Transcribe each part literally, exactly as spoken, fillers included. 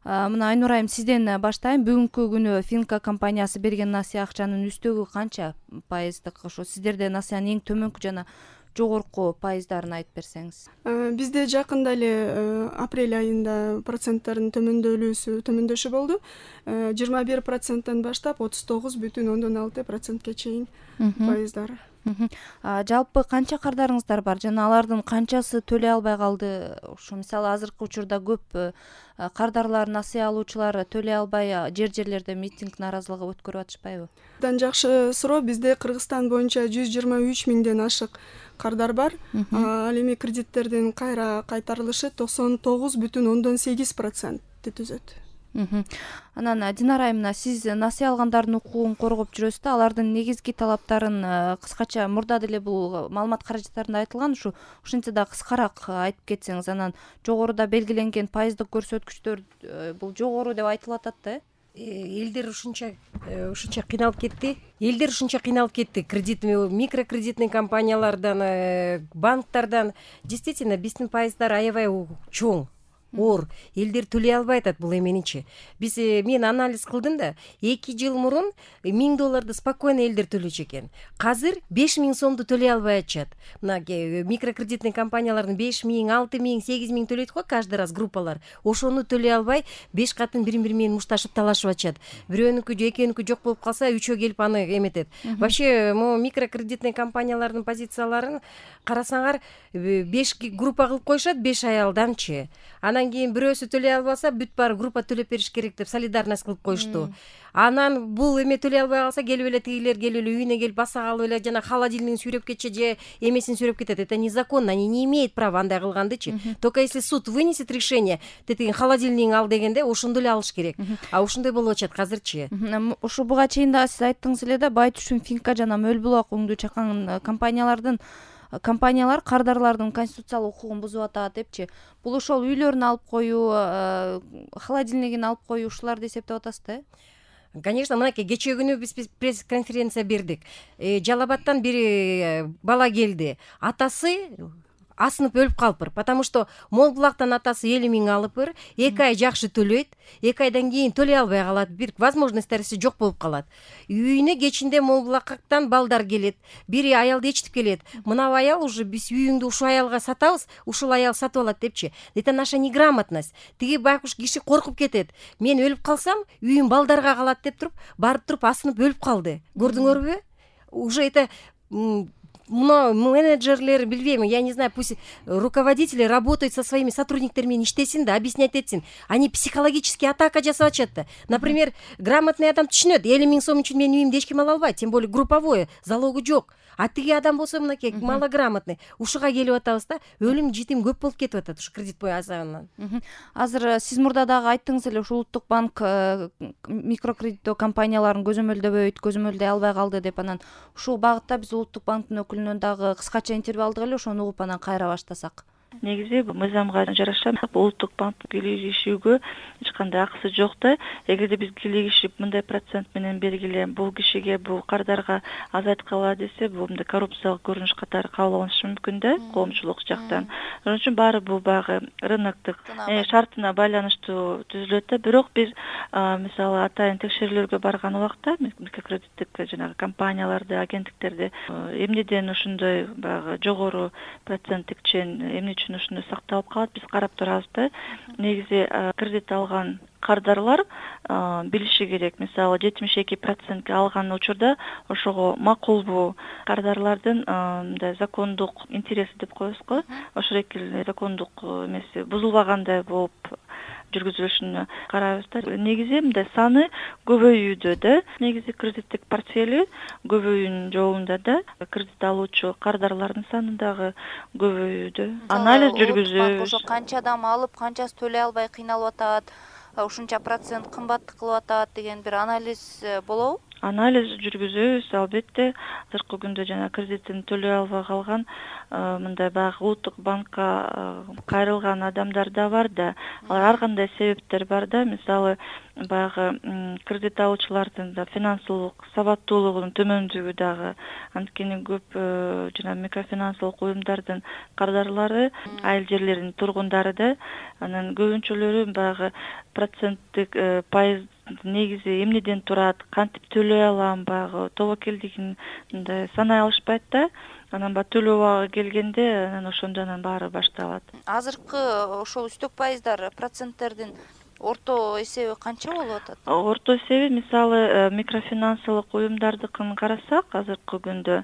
Мына Айнур айым, сизден баштайм. Бүгүнкү күнү Финка компаниясы берген насыя акчанын үстөгү канча пайыздык? Ошо сиздерде насыянын эң төмөнкү жана жогорку пайыздарын айтып берсеңиз. Бизде жакында эле апрель айында проценттардын төмөндөлүүсү төмөндөшү болду. жыйырма бир проценттен баштап отуз тогуз бүтүн ондон алты процентке чейин пайыздар. Жалпы канча кардарыңыздар бар жана алардын канчасы төлөй албай калды? Ошо мисалы азыркы учурда көп кардарлар, насыя алуучулар төлөй албай жер жерлерде митинг, нааразылыгы өткөрүп атышпайбы? Абдан жакшы суроо. Бизде Кыргызстан боюнча жүз жыйырма үч миңден ашык кардар бар. Ал эми кредиттердин кайра кайтарылышы токсон тогуз бүтүн ондон сегиз процентти түзөт. Анан Динара айымна, сиз насыя алгандардын укугун коргоп жүрөсүз да, алардын негизги талаптарын кыскача мурда деле бул маалымат каражаттарында айтылган, ушу ушинтсе да кыскараак айтып кетсеңиз. Анан жогоруда белгиленген пайыздык көрсөткүчтөр бул жогору деп айтылып атат да. Элдер ушунча ушунча кыйналып кетти. Элдер ушунча кыйналып кетти. Кредит, микрокредитный компаниялардан, банктардан. Действительно, биздин пайыздар аябай чоң. Оор. Элдер төлөй албай атат бул эменичи. Биз мен анализ кылдым да, эки жыл мурун миң долларды спокойно элдер төлөчү экен. Азыр беш миң сомду төлөй албай атышат. Мына микрокредитный компаниялардын беш миң, алты миң, сегиз миң төлөйт го каждый раз группалар. Ошону төлөй албай беш катын бири-бири менен мушташып талашып атышат. Бирөөнүкү же экөөнүкү жок болуп калса, үчөө келип аны эметет. Вообще, могу микрокредитный компаниялардын позицияларын карасаңар, беш группа кылып коюшат, беш аялданчы. Анан кийин бирөөсү төлөй албаса, бүт баары группа төлөп бериш керек деп солидарность кылып коюшту. Анан бул эме төлөй албай калса, келип эле тигилер келип эле үйүнө келип баса калып эле жана холодильнигин сүйрөп кетчи же эмесин сүйрөп кетет. Это незаконно, они не имеют права андай кылгандычы. Только если суд вынесет решение, тетиги холодильнигин ал дегенде ошондо эле алыш керек. А ошондой болуп атышат азырчы. Ушу буга чейин да сиз айттыңыз эле да, бай түшүн Финка жана Мөл булак уңду чакан компаниялардын компаниялар кардарлардын конституциялык укугун бузуп атат депчи. Бул ошол үйлөрүн алып коюу, холодильнигин алып коюу ушуларды эсептеп атасыз да? Конечно, мынакей кечээ күнү биз пресс-конференция бердик. Жалал Абадтан бир бала келди. Атасы асынып өлүп калыптыр, потому что Мол булактан атасы элүү миң алыптыр, эки ай жакшы төлөйт, эки айдан кийин төлөй албай калат, бир возможносттору жок болуп калат. Үйүнө кечинде Мол булактан балдар келет, бири аялды ээрчитип келет. Мына аял уже биз үйүңдү ушул аялга сатабыз, ушул аял сатып алат депчи. Это наша неграмотность. Тиги байкуш киши коркуп кетет. Мен өлүп калсам, үйүм балдарга калат деп туруп, барып туруп асынып өлүп калды. Көрдүңөрбү? Уже это мына менеджерлер, билбейм, я не знаю, пусть руководители работают со своими сотрудниктерими, иштесин да, объяснять этсин. Они психологически атака жасап атышат да. Например, грамотный адам түшүнөт, элүү миң сом үчүн менин үйүмдү эч ким ала албайт, тем более групповое, залогу жок. А тиги адам болсо мынакей малограмотный. Ушуга келип атабыз да, өлүм житим көп болуп кетип атат ушу кредит азабынан. Азыр сиз мурда дагы айттыңыз эле, ушу Улуттук банк микрокредиттөө компанияларын көзөмөлдөбөйт, көзөмөлдөй албай калды деп. Анан ушул багытта биз Улуттук банктын өкүлүнөн дагы кыскача интервью алдык эле, ошону угуп анан кайра баштасак. Негизи мыйзамга жараша Улуттук банк кийлигишүүгө эч кандай акысы жок да. Эгерде биз кийлигишип мындай процент менен бергиле, бул кишиге, бул кардарга азайткыла десе, бул мындай коррупциялык көрүнүш катары кабыл алынышы мүмкүн да, коомчулук жактан. Ошон үчүн баары бул багы рыноктук шартына байланыштуу түзүлөт да. Бирок биз мисалы атайын текшерүүлөргө барган убакта микрокредиттик жанагы компанияларды, агенттиктерди эмнеден ошондой баягы жогору проценттик чен эмне үчүн ушуну сакталып калат, биз карап турабыз да. Негизи кредит алган кардарлар билиши керек. Мисалы жетимиш эки процентке алган учурда ошого макулбу кардарлардын мындай закондук интереси деп коебуз го. Ошол эки закондук эмеси бузулбагандай болуп жүргүзүлүшүнө карайбыз да. Негизи мындай саны көбөйүүдө да. Негизи кредиттик портфели көбөйүүнүн жолунда да. Кредит алуучу кардарлардын саны дагы көбөйүүдө. Анализ жүргүзүү. Ошо канча адам алып, канчасы төлөй албай кыйналып атат, ушунча процент кымбат кылып атат деген бир анализ болобу? Анализ жүргүзөбүз, албетте. Азыркы күндө жана кредитин төлөй албай калган мындай баягы улуттук банкка кайрылган адамдар да бар да. Алар ар кандай себептер бар да. Мисалы, баягы кредит алуучулардын да финансылык сабаттуулугунун төмөндүгү дагы. Анткени көп жана микрофинансылык уюмдардын кардарлары айыл жерлеринин тургундары да, анан көбүнчөлөрү баягы проценттик пайыз негизи эмнеден турат, кантип төлөй алам, баягы тобокелдигин мындай санай алышпайт да. Анан баягы төлөө убагы келгенде анан ошондо анан баары башталат. Азыркы ошол үстөк пайыздар, проценттердин орто эсеби канча болуп атат? Орто эсеби мисалы микрофинансылык уюмдардыкын карасак, азыркы күндө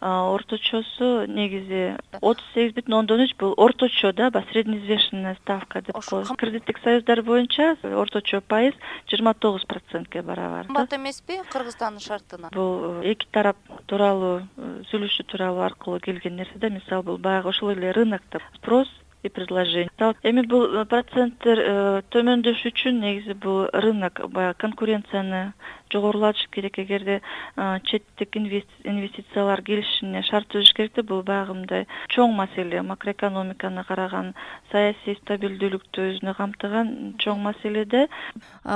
орточосу негизи отуз сегиз бүтүн ондон үч бул орточо да, баягы среднеизвешенная ставка деп коебуз. Кредиттик союздар боюнча орточо пайыз жыйырма тогуз процентке барабар. Кымбат эмеспи Кыргызстандын шартына? Бул эки тарап тууралуу сүйлөшүү тууралуу аркылуу келген нерсе да. Мисалы бул баягы ошол эле рынокто спрос и предложение. Эми бул проценттер төмөндөшү үчүн негизи бул рынок баягы конкуренцияны жогорулатыш керек. Эгерде четтик инвестициялар келишине шарт түзүш керек да, бул баягы мындай чоң маселе. Макроэкономиканы караган, саясий стабилдүүлүктү өзүнө камтыган чоң маселе да.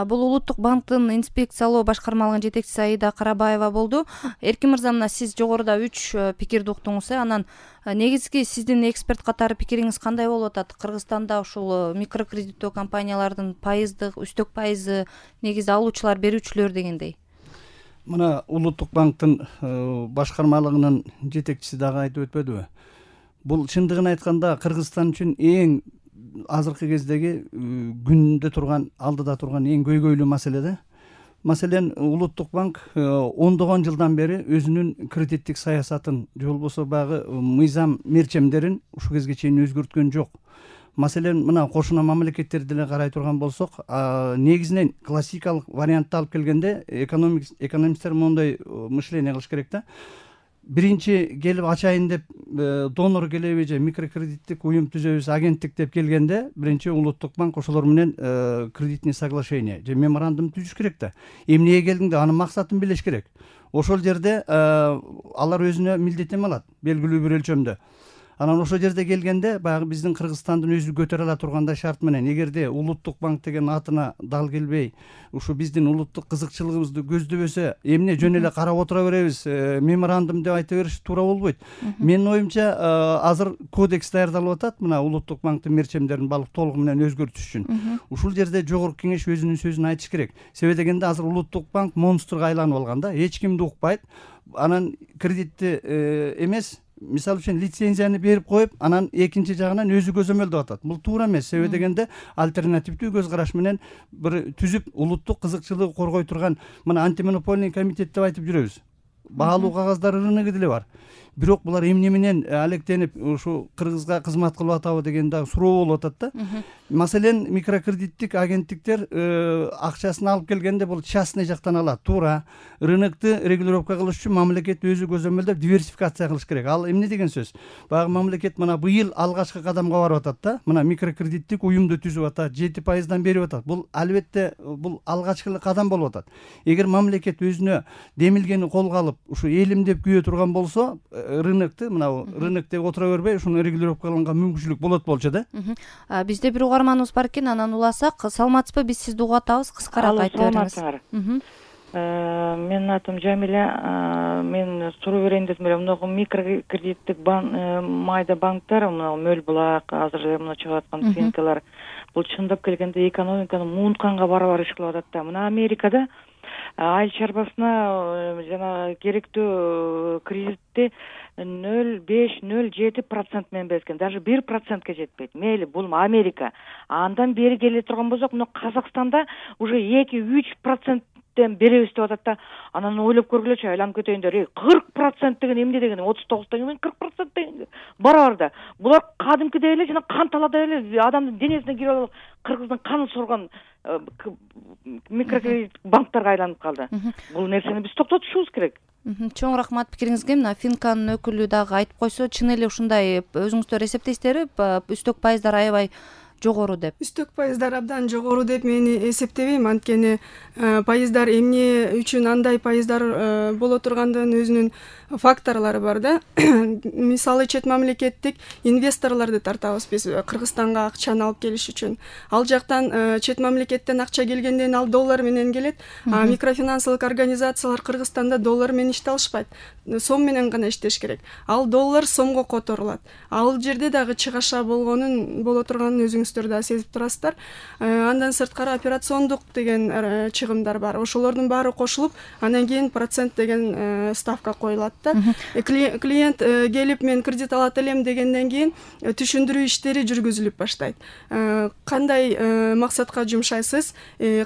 Бул Улуттук банктын инспекциялоо башкармалыгынын жетекчиси Аида Карабаева болду. Эркин мырза, мына сиз жогоруда үч пикирди уктуңуз. Анан негизги сиздин эксперт катары пикириңиз кандай болуп атат? Кыргызстанда ушул микрокредиттөө компаниялардын пайыздык, үстөк пайызы негизи алуучулар, берүүчүлөр дегендей. Мына Улуттук банктын башкармалыгынын жетекчиси дагы айтып өтпөдүбү? Бул чындыгын айтканда Кыргызстан үчүн эң азыркы кездеги күндө турган, алдыда турган эң көйгөйлүү маселе да. Маселен, Улуттук банк ондогон жылдан бери өзүнүн кредиттик саясатын же болбосо баягы мыйзам мерчемдерин ушул кезге чейин өзгөрткөн жок. Маселен, мына кошуна мамлекеттерди деле карай турган болсок, негизинен классикалык вариантты алып келгенде экономисттер моундай мышление кылыш керек да. Биринчи келип ачайын деп донор келеби же микрокредиттик уюм түзөбүз, агенттик деп келгенде, биринчи Улуттук банк ошолор менен кредитный соглашение же меморандум түзүш керек да. Эмнеге келдиңде, анын максатын билиш керек. Ошол жерде алар өзүнө милдеттенме алат, белгилүү бир өлчөмдө. Анан ошол жерде келгенде баягы биздин Кыргызстандын өзү көтөрө ала тургандай шарт менен, эгерде Улуттук банк деген атына дал келбей, ушу биздин улуттук кызыкчылыгыбызды көздөбөсө, эмне жөн эле карап отура беребиз, меморандум деп айта бериш туура болбойт. Менин оюмча, азыр кодекс даярдалып атат, мына Улуттук банктын мерчемдерин балык толугу менен өзгөртүш үчүн. Ушул жерде жогорку кеңеш өзүнүн сөзүн айтыш керек. Себеби дегенде азыр Улуттук банк монстрга айланып алган да, эч кимди укпайт. Анан кредитти эмес, мисалы үчүн лицензияны берип коюп, анан экинчи жагынан өзү көзөмөлдөп атат. Бул туура эмес. Себеби дегенде альтернативдүү көз караш менен бир түзүп, улуттук кызыкчылыгы коргой турган, мына антимонопольный комитет деп айтып жүрөбүз. Баалуу кагаздар рыногу деле бар. Бирок булар эмне менен алектенип ушу Кыргызга кызмат кылып атабы деген дагы суроо болуп атат да. Маселен, микрокредиттик агенттиктер акчасын алып келгенде бул частный жактан алат. Туура. Рынокты регулировка кылыш үчүн мамлекет өзү көзөмөлдөп диверсификация кылыш керек. Ал эмне деген сөз? Баягы мамлекет мына быйыл алгачкы кадамга барып атат да. Мына микрокредиттик уюмду түзүп атат, жети пайыздан берип атат. Бул албетте бул алгачкы кадам болуп атат. Эгер мамлекет өзүнө демилгени колго алып, ушу элим деп күйө турган болсо, рынокты, мына рынок деп отура бербей, ушуну регулировкаланганга мүмкүнчүлүк болот болчу да. Бизде бир угарманыбыз бар экен, анан уласак. Саламатсызбы? Биз сизди угуп атабыз. Кыскараак айтып бериңиз. Менин атым Жамиля. Мен суроо берейин дедим эле. Мына микрокредиттик майда банктар, мына Мөл Булак, азыр мына чыгып аткан финкалар, бул чындап келгенде экономиканы муунтканга барабар иш кылып атат да. Мына Америкада айыл чарбасына жана керектүү кредитти нөл беш нөл жети процент менен берген, даже бир процентке жетпейт. Мейли, бул Америка. Андан бери келе турган болсок, мына Казакстанда уже эки үч проценттен беребиз деп атат да. Анан ойлоп көргүлөчү, айланып кетейиндер. кырк процент деген эмне деген? отуз тогуздон кийин кырк процент деген барабар да. Булар кадимкидей эле жана кан таладай эле адамдын денесине кирип алып, Кыргыздын канын сурган микрокредит банктарга айланып калды. Бул нерсени биз токтотушубуз керек. Чоң рахмат пикириңизге. Мына Финканын өкүлү дагы айтып койсо, чын эле ушундай өзүңүздөр эсептейсиздерби? Үстөк пайыздар аябай жогору деп? Үстөк пайыздар абдан жогору деп мен эсептебейм, анткени пайыздар эмне үчүн андай пайыздар боло тургандыгын өзүнүн факторлору бар да. Мисалы чет мамлекеттик инвесторлорду тартабыз биз Кыргызстанга акчаны алып келиш үчүн. Ал жактан чет мамлекеттен акча келгенден ал доллар менен келет, а микрофинансылык организациялар Кыргызстанда доллар менен иштей алышпайт. Сом менен гана иштеш керек. Ал доллар сомго которулат. Ал жерде дагы чыгаша болгонун боло турганын өзүңүздөр да сезип турасыздар. Андан сырткары операциондук деген чыгымдар бар. Ошолордун баары кошулуп, андан кийин процент деген ставка коюлат да. Клиент келип мен кредит алат элем дегенден кийин түшүндүрүү иштери жүргүзүлүп баштайт. Кандай максатка жумшайсыз,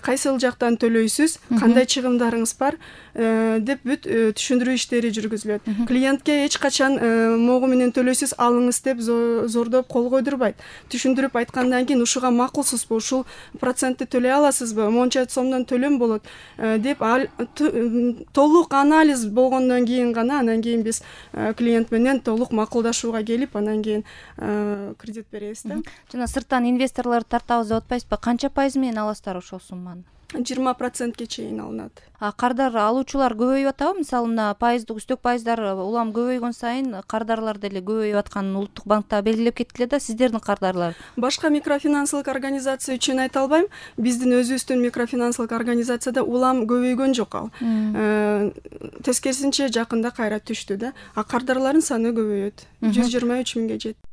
кайсыл жактан төлөйсүз, кандай чыгымдарыңыз бар деп бүт түшүндүрүү иштери жүргүзүлөт. Клиентке эч качан могу менен төлөйсүз, алыңыз деп зордоп кол койдурбайт. Түшүндүрүп айткандан кийин ушуга макулсузбу, ушул процентти төлөй аласызбы, монча сомдон төлөм болот деп толук анализ болгондон кийин гана анан кийин биз клиент менен толук макулдашууга келип, анан кийин кредит беребиз да. Жана сырттан инвесторлорду тартабыз деп атпайсызбы? Канча пайыз менен аласыздар ошол сумманы? жыйырма процентке чейин алынат. А кардар алуучулар көбөйүп атабы? Мисалы мына пайыздык үстөк пайыздар улам көбөйгөн сайын кардарлар деле көбөйүп атканын Улуттук банкта белгилеп кеткиле да. Сиздердин кардарлар? Башка микрофинансылык организация үчүн айта албайм. Биздин өзүбүздүн микрофинансылык организацияда улам көбөйгөн жок ал. Тескерисинче жакында кайра түштү да. А кардарлардын саны көбөйөт. жүз жыйырма үч миңге жетти.